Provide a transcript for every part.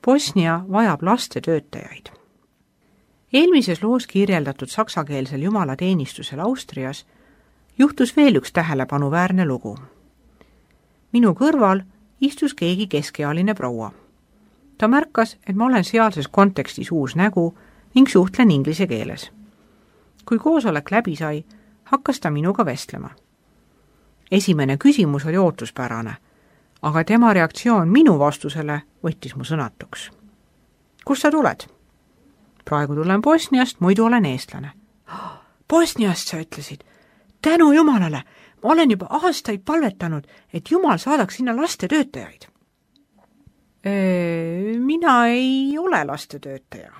Bosnia vajab lastetöötajaid. Eelmises loos kirjeldatud saksakeelsel jumalateenistusel Austrias juhtus veel üks tähelepanuväärne lugu. Minu kõrval istus keegi keskealine proua. Ta märkas, et ma olen sealses kontekstis uus nägu ning suhtlen inglise keeles. Kui koosolek läbi sai, hakkas ta minuga vestlema. Esimene küsimus oli ootuspärane, aga tema reaktsioon minu vastusele võttis mu sõnatuks. Kust sa tuled? Praegu tulen Bosniast, muidu olen eestlane. Bosniast, sa ütlesid. Tänu Jumalale, ma olen juba aastaid palvetanud, et Jumal saadaks sinna lastetöötajaid. Mina ei ole lastetöötaja.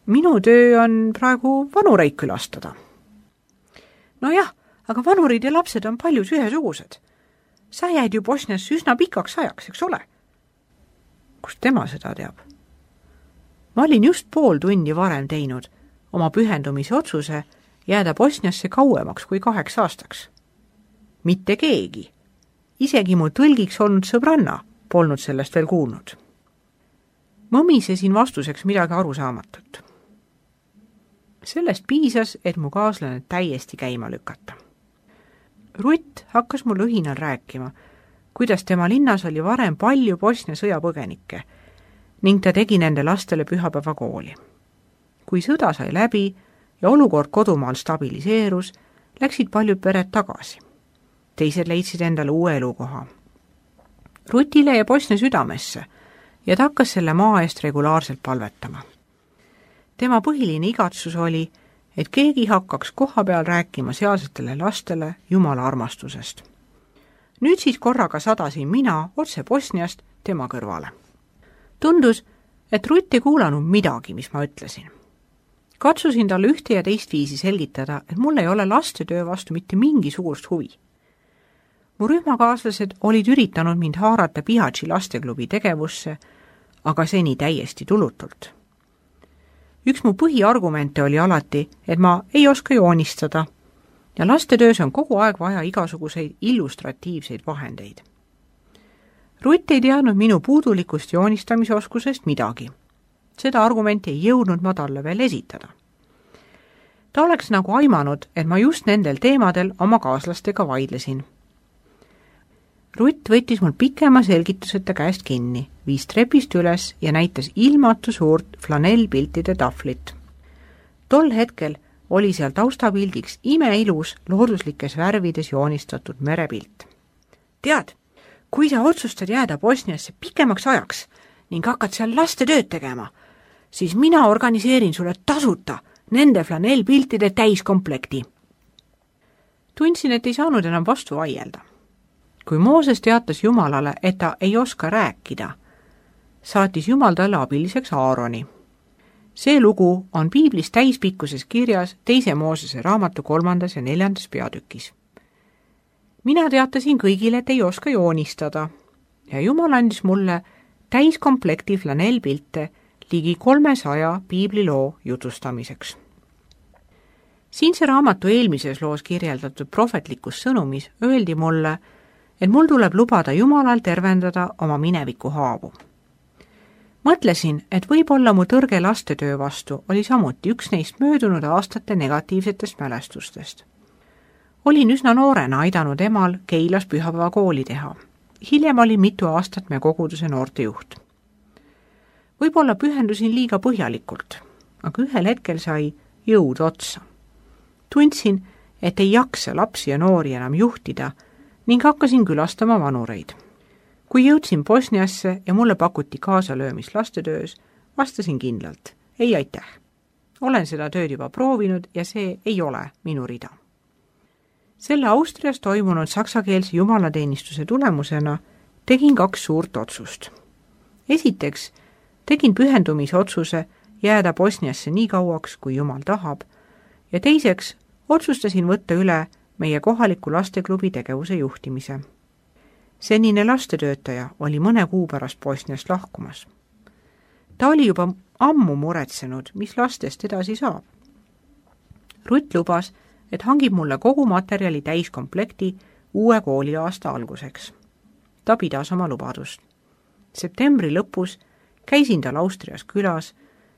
Minu töö on praegu vanureid külastada. Nojah, aga vanurid ja lapsed on paljus ühesugused. Sa jäid ju Bosniasse üsna pikaks ajaks, eks ole? Kust tema seda teab? Ma olin just pool tundi varem teinud oma pühendumise otsuse jääda Bosniasse kauemaks kui 8 aastaks. Mitte keegi, isegi mu tõlgiks olnud sõbranna, polnud sellest veel kuulnud. Mõmisesin vastuseks midagi arusaamatut. Sellest piisas, et mu kaaslane täiesti käima lükata. Rutt hakkas mul õhinal rääkima, kuidas tema linnas oli varem palju Bosnia sõjapõgenikke ning ta tegi nende lastele pühapäevakooli. Kui sõda sai läbi ja olukord kodumaal stabiliseerus, läksid paljud pered tagasi. Teised leidsid endale uue elukoha. Rutile ja Bosnia südamesse ja ta hakkas selle maa eest regulaarselt palvetama. Tema põhiline igatsus oli, et keegi hakkaks kohapeal rääkima sealsetele lastele Jumala armastusest. Nüüd siis korraga sadasin mina otse Bosniast tema kõrvale. Tundus, et Rutt ei kuulanud midagi, mis ma ütlesin. Katsusin talle ühte ja teist viisi selgitada, et mul ei ole lastetöö vastu mitte mingisugust huvi. Mu rühmakaaslased olid üritanud mind haarata Bihaći lasteklubi tegevusse, aga seni täiesti tulutult. Üks mu põhiargumente oli alati, et ma ei oska joonistada ja lastetöös on kogu aeg vaja igasuguseid illustratiivseid vahendeid. Rutt ei teadnud minu puudulikust joonistamisoskusest midagi. Seda argumenti ei jõudnud ma talle veel esitada. Ta oleks nagu aimanud, et ma just nendel teemadel oma kaaslastega vaidlesin. Rutt võttis mul pikema selgituseta käest kinni, viis trepist üles ja näitas ilmatu suurt flanellpiltide tahvlit. Tol hetkel oli seal taustapildiks imeilus looduslikes värvides joonistatud merepilt. Tead, kui sa otsustad jääda Bosniasse pikemaks ajaks ning hakkad seal lastetööd tegema, siis mina organiseerin sulle tasuta nende flanellpiltide täiskomplekti. Tundsin, et ei saanud enam vastu vaielda. Kui Mooses teatas Jumalale, et ta ei oska rääkida, saatis Jumal talle abiliseks Aaroni. See lugu on piiblis täispikkuses kirjas 2. Moosese raamatu 3. ja 4. peatükis. Mina teatasin kõigile, et ei oska joonistada ja Jumal andis mulle täiskomplekti flanellpilte ligi 300 piibliloo jutustamiseks. Siinse raamatu eelmises loos kirjeldatud prohvetlikus sõnumis öeldi mulle, et mul tuleb lubada Jumalal tervendada oma mineviku haavu. Mõtlesin, et võib-olla mu tõrge lastetöö vastu oli samuti üks neist möödunud aastate negatiivsetest mälestustest. Olin üsna noorena aidanud emal Keilas pühapäevakooli teha. Hiljem oli mitu aastat me koguduse noortejuht. Võib-olla pühendusin liiga põhjalikult, aga ühel hetkel sai jõud otsa. Tundsin, et ei jaksa lapsi ja noori enam juhtida ning hakkasin külastama vanureid. Kui jõudsin Bosniasse ja mulle pakuti kaasalöömist lastetöös, vastasin kindlalt, ei aitäh. Olen seda tööd juba proovinud ja see ei ole minu rida. Selle Austrias toimunud saksakeelse jumalateenistuse tulemusena tegin 2 suurt otsust. Esiteks tegin pühendumisotsuse jääda Bosniasse nii kauaks, kui Jumal tahab, ja teiseks otsustasin võtta üle meie kohaliku lasteklubi tegevuse juhtimise. Senine lastetöötaja oli mõne kuu pärast Bosniast lahkumas. Ta oli juba ammu muretsenud, mis lastest edasi saab. Rutt lubas, et hangib mulle kogu materjali täiskomplekti uue kooliaasta alguseks. Ta pidas oma lubadust. Septembri lõpus käisin tal Austrias külas,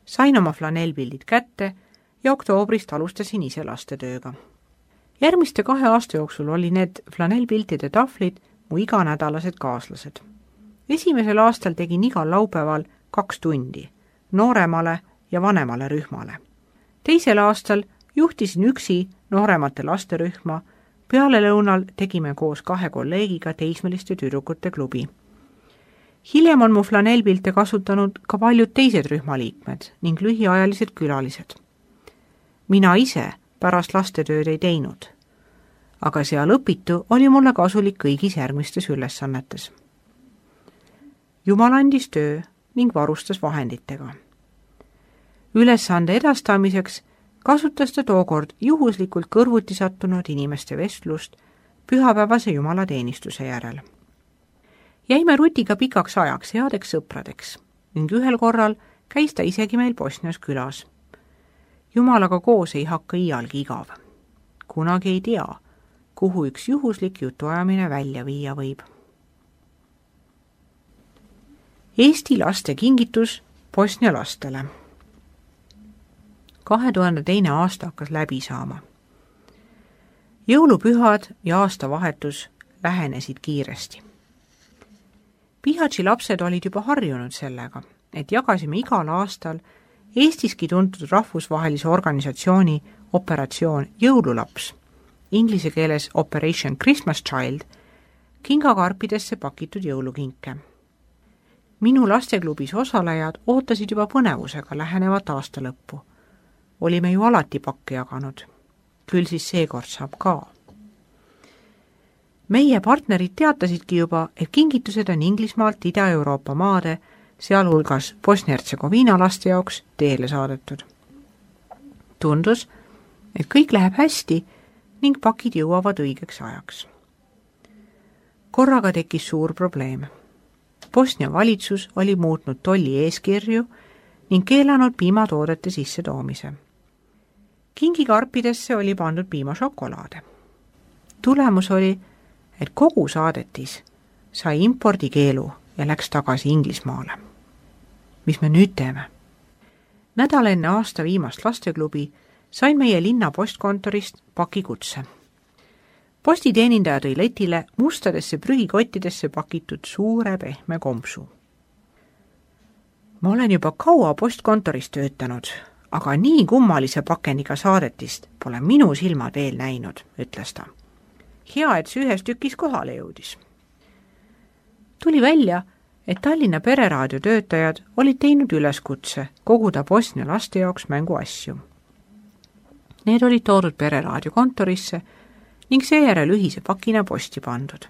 sain oma flanellpildid kätte ja oktoobrist alustasin ise lastetööga. Järgmiste 2 aasta jooksul oli need flanellpiltide tahvlid mu iganädalased kaaslased. Esimesel aastal tegin igal laupäeval 2 tundi, nooremale ja vanemale rühmale. Teisel aastal juhtisin üksi nooremate lasterühma, peale lõunal tegime koos 2 kolleegiga teismeliste tüdrukute klubi. Hiljem on mu flanellpilte kasutanud ka paljud teised rühmaliikmed ning lühiajalised külalised. Mina ise pärast lastetööd ei teinud, aga seal õpitu oli mulle kasulik kõigis järgmistes ülesannetes. Jumal andis töö ning varustas vahenditega. Ülesande edastamiseks kasutas ta tookord juhuslikult kõrvuti sattunud inimeste vestlust pühapäevase jumalateenistuse järel. Jäime Rutiga pikaks ajaks headeks sõpradeks ning ühel korral käis ta isegi meil Bosnias külas. Jumalaga koos ei hakka iialgi igav. Kunagi ei tea, kuhu üks juhuslik jutuajamine välja viia võib. Eesti laste kingitus Bosnia lastele. 2002. aasta hakkas läbi saama. Jõulupühad ja aastavahetus lähenesid kiiresti. Pihatši lapsed olid juba harjunud sellega, et jagasime igal aastal Eestiski tuntud rahvusvahelise organisatsiooni operatsioon Jõululaps, inglise keeles Operation Christmas Child, kingakarpidesse pakitud jõulukinke. Minu lasteklubis osalejad ootasid juba põnevusega lähenevat aasta lõppu. Olime ju alati pakke jaganud. Küll siis seekord saab ka. Meie partnerid teatasidki juba, et kingitused on Inglismaalt Ida-Euroopa maade, sealhulgas Bosnia-Hertsegoviina laste jaoks teele saadetud. Tundus, et kõik läheb hästi ning pakid jõuavad õigeks ajaks. Korraga tekkis suur probleem. Bosnia valitsus oli muutnud tolli eeskirju ning keelanud piimatoodete sisse toomise. Kingikarpidesse oli pandud piimašokolaade. Tulemus oli, et kogu saadetis sai impordikeelu ja läks tagasi Inglismaale. Mis me nüüd teeme? Nädal enne aasta viimast lasteklubi sain meie linna postkontorist pakikutse. Postiteenindaja tõi letile mustadesse prügikottidesse pakitud suure pehme kompsu. Ma olen juba kaua postkontoris töötanud, aga nii kummalise pakendiga saadetist pole minu silmad veel näinud, ütles ta. Hea, et see ühes tükis kohale jõudis. Tuli välja, et Tallinna Pereraadio töötajad olid teinud üleskutse koguda Bosnia laste jaoks mänguasju. Need olid toodud Pereraadio kontorisse ning seejärel ühise pakina posti pandud.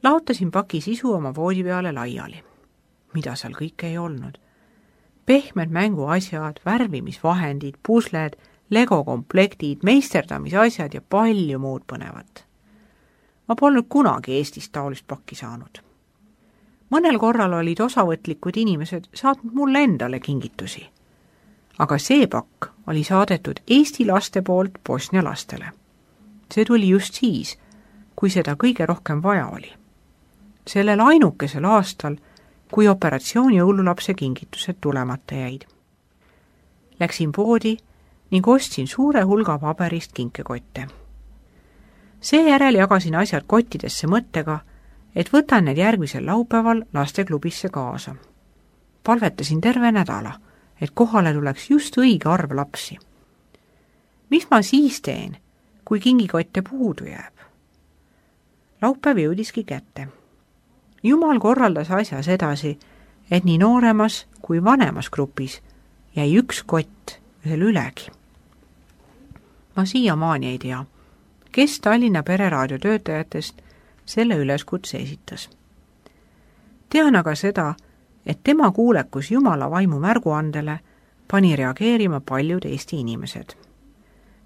Laotasin paki sisu oma voodi peale laiali. Mida seal kõike ei olnud? Pehmed mänguasjad, värvimisvahendid, pusled, legokomplektid, meisterdamisasjad ja palju muud põnevat. Ma polnud kunagi Eestist taolist pakki saanud. Mõnel korral olid osavõtlikud inimesed saatnud mulle endale kingitusi. Aga see pakk oli saadetud Eesti laste poolt Bosnia lastele. See tuli just siis, kui seda kõige rohkem vaja oli. Sellel ainukesel aastal, kui operatsiooni jõululapse kingitused tulemata jäid. Läksin poodi ning ostsin suure hulga paberist kinkekotte. Seejärel jagasin asjad kottidesse mõttega, et võtan need järgmisel laupäeval lasteklubisse kaasa. Palvetasin terve nädala, et kohale tuleks just õige arv lapsi. Mis ma siis teen, kui kingikotte puudu jääb? Laupäev jõudiski kätte. Jumal korraldas asjas edasi, et nii nooremas kui vanemas grupis jäi üks kott veel ülegi. Ma siiamaani ei tea, kes Tallinna Pereraadio töötajatest selle üleskutse esitas. Tean aga seda, et tema kuulekus Jumala vaimu märguandele pani reageerima paljud Eesti inimesed.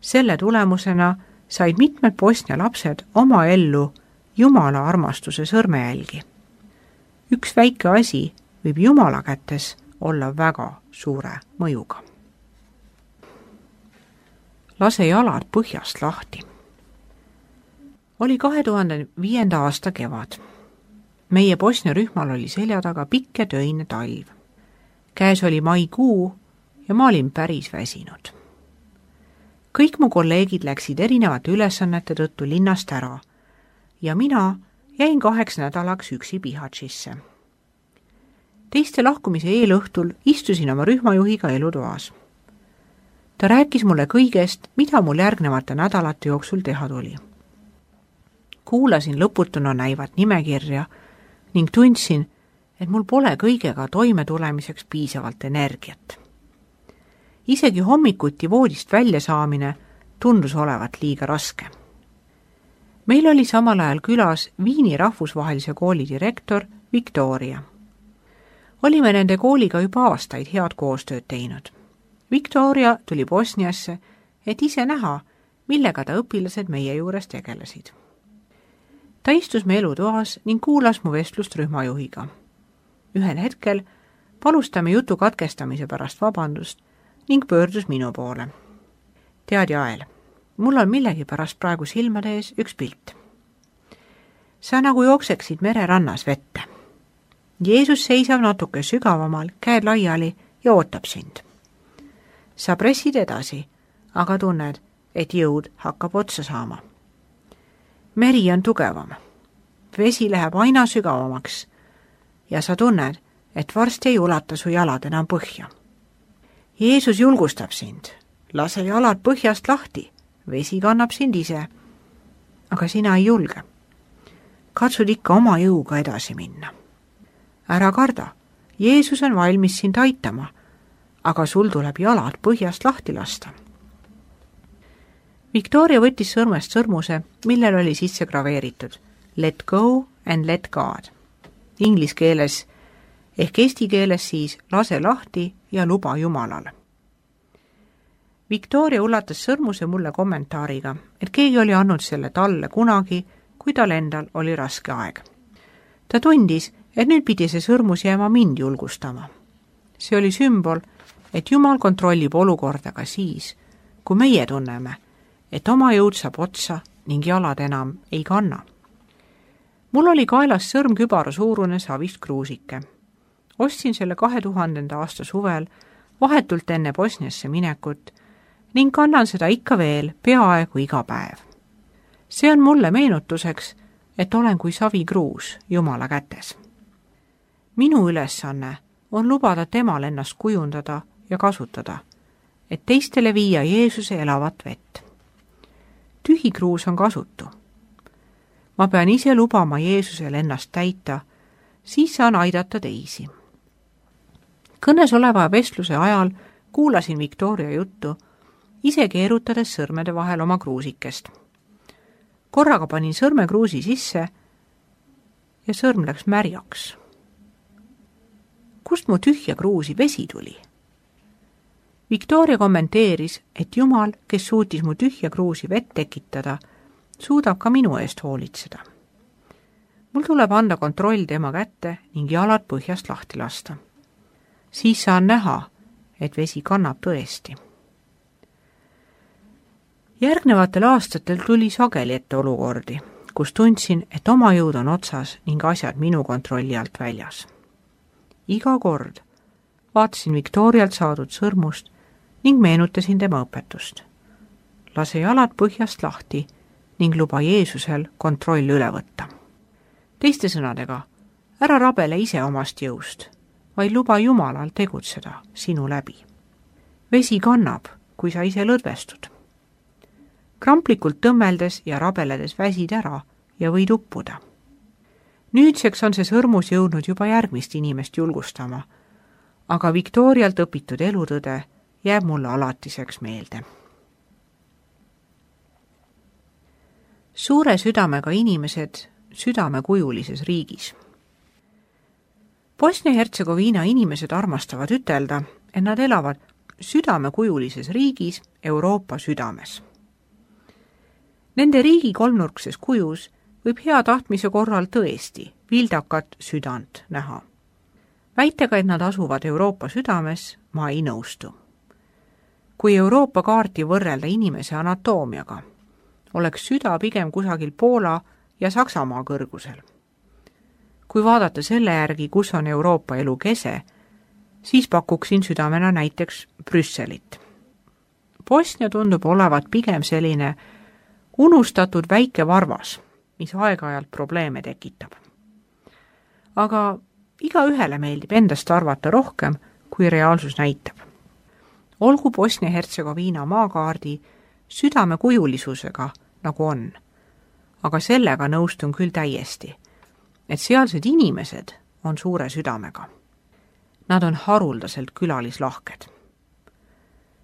Selle tulemusena said mitmed Bosnia lapsed oma ellu Jumala armastuse sõrmejälgi. Üks väike asi võib Jumala kätes olla väga suure mõjuga. Lase jalad põhjast lahti. Oli 2005. aasta kevad. meie Bosnia rühmal oli selja taga pikk ja töine talv. Käes oli maikuu ja ma olin päris väsinud. Kõik mu kolleegid läksid erinevate ülesannete tõttu linnast ära ja mina jäin 2 nädalaks üksi Bihaćisse. Teiste lahkumise eelõhtul istusin oma rühmajuhiga elutoas. Ta rääkis mulle kõigest, mida mul järgnevate nädalate jooksul teha tuli. Kuulasin lõputuna näivat nimekirja ning tundsin, et mul pole kõigega toime tulemiseks piisavalt energiat. Isegi hommikuti voodist välja saamine tundus olevat liiga raske. Meil oli samal ajal külas Viini rahvusvahelise kooli direktor Viktoria. Olime nende kooliga juba aastaid head koostööd teinud. Viktoria tuli Bosniasse, et ise näha, millega ta õpilased meie juures tegelesid. Ta istus me elutoas ning kuulas mu vestlust rühmajuhiga. Ühel hetkel palus ta me jutu katkestamise pärast vabandust ning pöördus minu poole. Tead, Jael, mul on millegipärast praegu silmade ees üks pilt. Sa nagu jookseksid mererannas vette. Jeesus seisab natuke sügavamal, käed laiali ja ootab sind. Sa pressid edasi, aga tunned, et jõud hakkab otsa saama. Meri on tugevam. Vesi läheb aina sügavamaks ja sa tunned, et varsti ei ulata su jalad enam põhja. Jeesus julgustab sind. Lase jalad põhjast lahti. Vesi kannab sind ise. Aga sina ei julge. Katsud ikka oma jõuga edasi minna. Ära karda. Jeesus on valmis sind aitama, aga sul tuleb jalad põhjast lahti lasta. Viktoria võttis sõrmest sõrmuse, millel oli sisse graveeritud Let go and let God. Inglis keeles ehk eesti keeles siis lase lahti ja luba Jumalale. Viktoria ulatas sõrmuse mulle kommentaariga, et keegi oli andnud selle talle kunagi, kui tal endal oli raske aeg. Ta tundis, et nüüd pidi see sõrmus jääma mind julgustama. See oli sümbol, et Jumal kontrollib olukorda ka siis, kui meie tunneme, et oma jõud saab otsa ning jalad enam ei kanna. Mul oli kaelas sõrmkübara suurune savist kruusike. Ostsin selle 2000. aasta suvel vahetult enne Bosniasse minekut ning kannan seda ikka veel peaaegu iga päev. See on mulle meenutuseks, et olen kui savikruus Jumala kätes. Minu ülesanne on lubada temal ennast kujundada ja kasutada, et teistele viia Jeesuse elavat vett. Tühi kruus on kasutu. Ma pean ise lubama Jeesusel ennast täita, siis saan aidata teisi. Kõnes oleva vestluse ajal kuulasin Viktoria juttu, ise keerutades sõrmede vahel oma kruusikest. Korraga panin sõrme kruusi sisse ja sõrm läks märjaks. Kust mu tühja kruusi vesi tuli? Viktoria kommenteeris, et Jumal, kes suutis mu tühja kruusi vett tekitada, suudab ka minu eest hoolitseda. Mul tuleb anda kontroll tema kätte ning jalad põhjast lahti lasta. Siis saan näha, et vesi kannab tõesti. Järgnevatel aastatel tuli sageli ette olukordi, kus tundsin, et oma jõud on otsas ning asjad minu kontrolli alt väljas. Iga kord vaatasin Viktorialt saadud sõrmust ning meenutasin tema õpetust. Lase jalad põhjast lahti ning luba Jeesusel kontroll üle võtta. Teiste sõnadega, ära rabele ise omast jõust, vaid luba Jumalal tegutseda sinu läbi. Vesi kannab, kui sa ise lõdvestud. Kramplikult tõmmeldes ja rabeledes väsid ära ja võid uppuda. Nüüdseks on see sõrmus jõudnud juba järgmist inimest julgustama, aga Viktorialt õpitud elutõde jääb mulle alatiseks meelde. Suure südamega inimesed südamekujulises riigis. Bosnia-Hertsegoviina inimesed armastavad ütelda, et nad elavad südamekujulises riigis Euroopa südames. Nende riigi kolmnurkses kujus võib hea tahtmise korral tõesti vildakat südant näha. Väitega, et nad asuvad Euroopa südames, ma ei nõustu. Kui Euroopa kaarti võrrelda inimese anatoomiaga, oleks süda pigem kusagil Poola ja Saksamaa kõrgusel. kui vaadata selle järgi, kus on Euroopa elu kese, siis pakuksin südamena näiteks Brüsselit. Bosnia tundub olevat pigem selline unustatud väike varvas, mis aeg-ajalt probleeme tekitab. Aga igaühele meeldib endast arvata rohkem, kui reaalsus näitab. Olgu Bosnia-Hertsegoviina maakaardi südamekujulisusega, nagu on, aga sellega nõustun küll täiesti, et sealsed inimesed on suure südamega. Nad on haruldaselt külalislahked.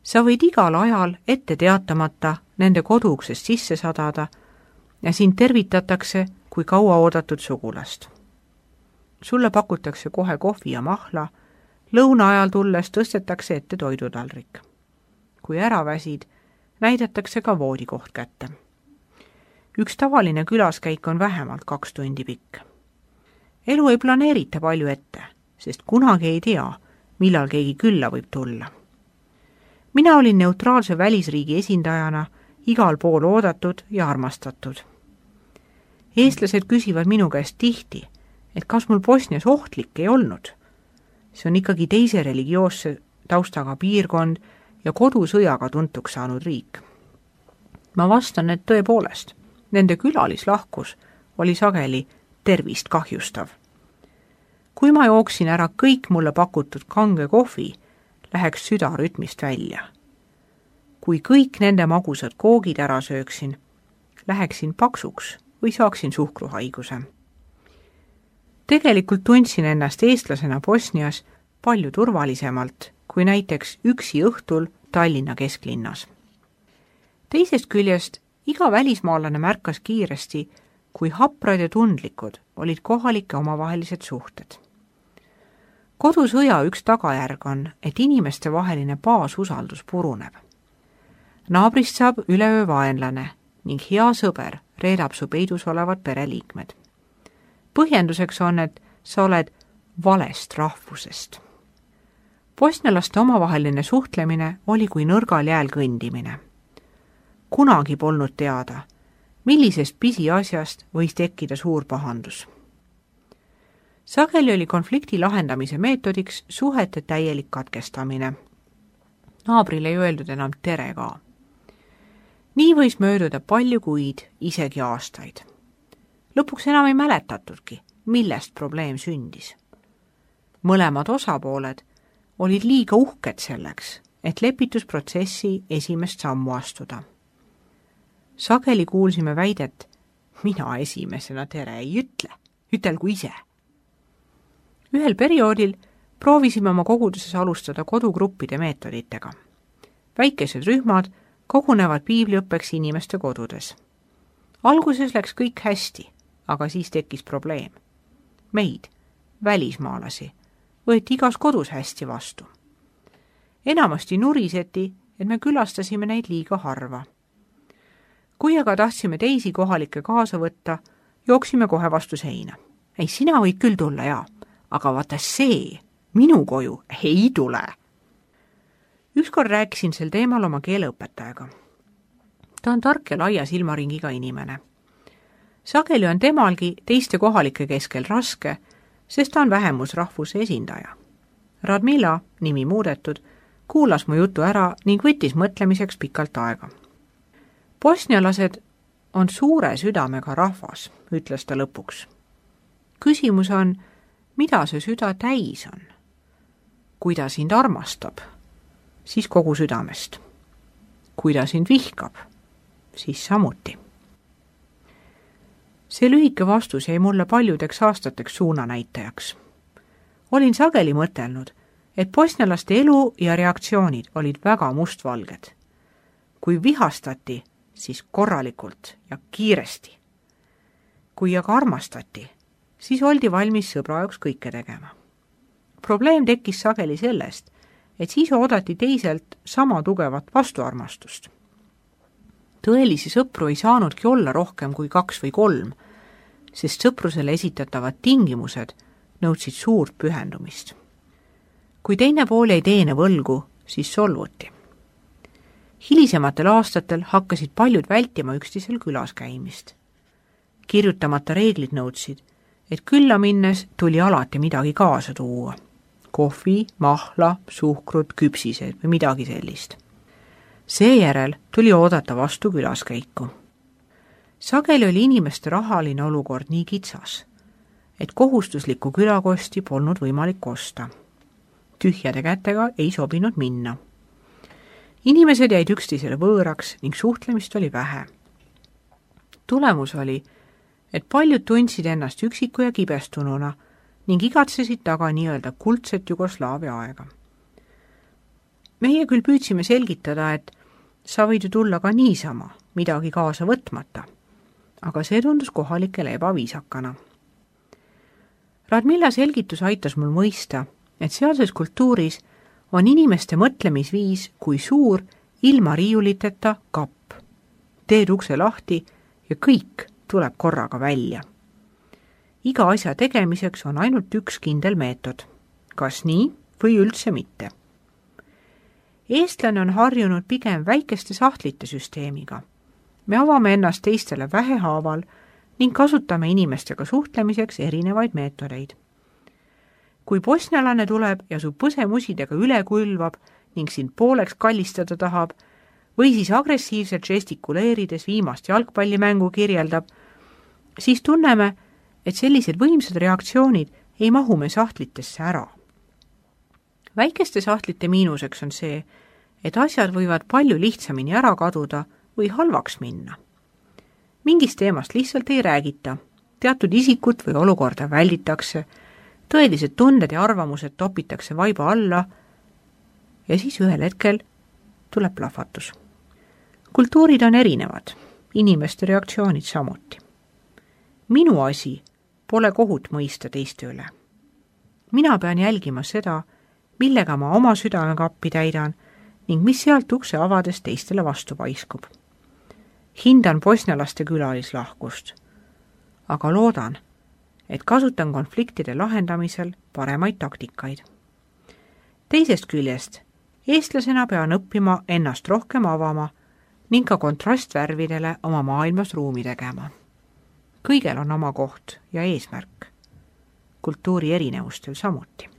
Sa võid igal ajal ette teatamata nende koduuksest sisse sadada ja sind tervitatakse kui kauaoodatud sugulast. Sulle pakutakse kohe kohvi ja mahla, lõuna ajal tulles tõstetakse ette toidutaldrik. Kui ära väsid, näidatakse ka voodikoht kätte. Üks tavaline külaskäik on vähemalt 2 tundi pikk. Elu ei planeerita palju ette, sest kunagi ei tea, millal keegi külla võib tulla. Mina olin neutraalse välisriigi esindajana igal pool oodatud ja armastatud. Eestlased küsivad minu käest tihti, et kas mul Bosnias ohtlik ei olnud. See on ikkagi teise religioosse taustaga piirkond ja kodusõjaga tuntuks saanud riik. Ma vastan, et tõepoolest, nende külalislahkus oli sageli tervist kahjustav. Kui ma jooksin ära kõik mulle pakutud kange kohvi, läheks süda rütmist välja. Kui kõik nende magusad koogid ära sööksin, läheksin paksuks või saaksin suhkruhaiguse. Tegelikult tundsin ennast eestlasena Bosnias palju turvalisemalt kui näiteks üksi õhtul Tallinna kesklinnas. Teisest küljest iga välismaalane märkas kiiresti, kui haprad ja tundlikud olid kohalike omavahelised suhted. Kodusõja üks tagajärg on, et inimeste vaheline baasusaldus puruneb. Naabrist saab üleöö vaenlane ning hea sõber reedab su peidus olevad pereliikmed. Põhjenduseks on, et sa oled valest rahvusest. Bosnialaste omavaheline suhtlemine oli kui nõrgal jääl kõndimine. Kunagi polnud teada, millisest pisiasjast võis tekkida suur pahandus. Sageli oli konflikti lahendamise meetodiks suhete täielik katkestamine. Naabrile ei öeldud enam tere ka. Nii võis mööduda palju kuid, isegi aastaid. Lõpuks enam ei mäletatudki, millest probleem sündis. Mõlemad osapooled olid liiga uhked selleks, et lepitusprotsessi esimest sammu astuda. Sageli kuulsime väidet, mina esimesena tere ei ütle, ütelgu ise. Ühel perioodil proovisime oma koguduses alustada kodugruppide meetoditega. Väikesed rühmad kogunevad piibliõppeks inimeste kodudes. Alguses läks kõik hästi, aga siis tekkis probleem. Meid, välismaalasi, võeti igas kodus hästi vastu. Enamasti nuriseti, et me külastasime neid liiga harva. Kui aga tahtsime teisi kohalikke kaasa võtta, jooksime kohe vastu seina. Ei, sina võid küll tulla, jaa, aga vaata see, minu koju ei tule. Ükskord rääkisin sel teemal oma keeleõpetajaga. Ta on tark ja laia silmaringiga inimene. Sageli on temalgi teiste kohalike keskel raske, sest ta on vähemusrahvuse esindaja. Radmila, nimi muudetud, kuulas mu jutu ära ning võttis mõtlemiseks pikalt aega. Bosnialased on suure südamega rahvas, ütles ta lõpuks. Küsimus on, mida see süda täis on? Kui ta sind armastab, siis kogu südamest. Kui ta sind vihkab, siis samuti. See lühike vastus jäi mulle paljudeks aastateks suunanäitajaks. Olin sageli mõtelnud, et bosnialaste elu ja reaktsioonid olid väga mustvalged. Kui vihastati, siis korralikult ja kiiresti. Kui aga armastati, siis oldi valmis sõbra jaoks kõike tegema. Probleem tekkis sageli sellest, et siis oodati teiselt sama tugevat vastuarmastust. Tõelisi sõpru ei saanudki olla rohkem kui 2 või 3, sest sõprusele esitatavad tingimused nõudsid suurt pühendumist. Kui teine pool ei teene võlgu, siis solvuti. Hilisematel aastatel hakkasid paljud vältima üksteisel külas käimist. Kirjutamata reeglid nõudsid, et külla minnes tuli alati midagi kaasa tuua. Kohvi, mahla, suhkrut, küpsised või midagi sellist. Seejärel tuli oodata vastu külaskäiku. Sageli oli inimeste rahaline olukord nii kitsas, et kohustuslikku külakosti polnud võimalik osta. Tühjade kätega ei sobinud minna. Inimesed jäid üksteisele võõraks ning suhtlemist oli vähe. Tulemus oli, et paljud tundsid ennast üksiku ja kibestununa ning igatsesid taga nii-öelda kuldset Jugoslaavia aega. Meie küll püüdsime selgitada, et sa võid ju tulla ka niisama, midagi kaasa võtmata, aga see tundus kohalikele ebaviisakana. Radmilla selgitus aitas mul mõista, et sealses kultuuris on inimeste mõtlemisviis kui suur ilma riiuliteta kapp. Teed ukse lahti ja kõik tuleb korraga välja. Iga asja tegemiseks on ainult üks kindel meetod, kas nii või üldse mitte. Eestlane on harjunud pigem väikeste sahtlite süsteemiga. Me avame ennast teistele vähehaaval ning kasutame inimestega suhtlemiseks erinevaid meetodeid. Kui bosnialane tuleb ja su põsemusidega üle külvab ning sind pooleks kallistada tahab või siis agressiivselt žestikuleerides viimast jalgpallimängu kirjeldab, siis tunneme, et sellised võimsad reaktsioonid ei mahu me sahtlitesse ära. Väikeste sahtlite miinuseks on see, et asjad võivad palju lihtsamini ära kaduda või halvaks minna. Mingist teemast lihtsalt ei räägita, teatud isikut või olukorda välditakse, tõelised tunded ja arvamused topitakse vaiba alla ja siis ühel hetkel tuleb plahvatus. Kultuurid on erinevad, inimeste reaktsioonid samuti. Minu asi pole kohut mõista teiste üle. Mina pean jälgima seda, millega ma oma südamekappi täidan ning mis sealt ukse avades teistele vastu paiskub. Hindan bosnialaste külalislahkust, aga loodan, et kasutan konfliktide lahendamisel paremaid taktikaid. Teisest küljest, eestlasena pean õppima ennast rohkem avama ning ka kontrastvärvidele oma maailmas ruumi tegema. Kõigel on oma koht ja eesmärk. Kultuuri erinevustel samuti.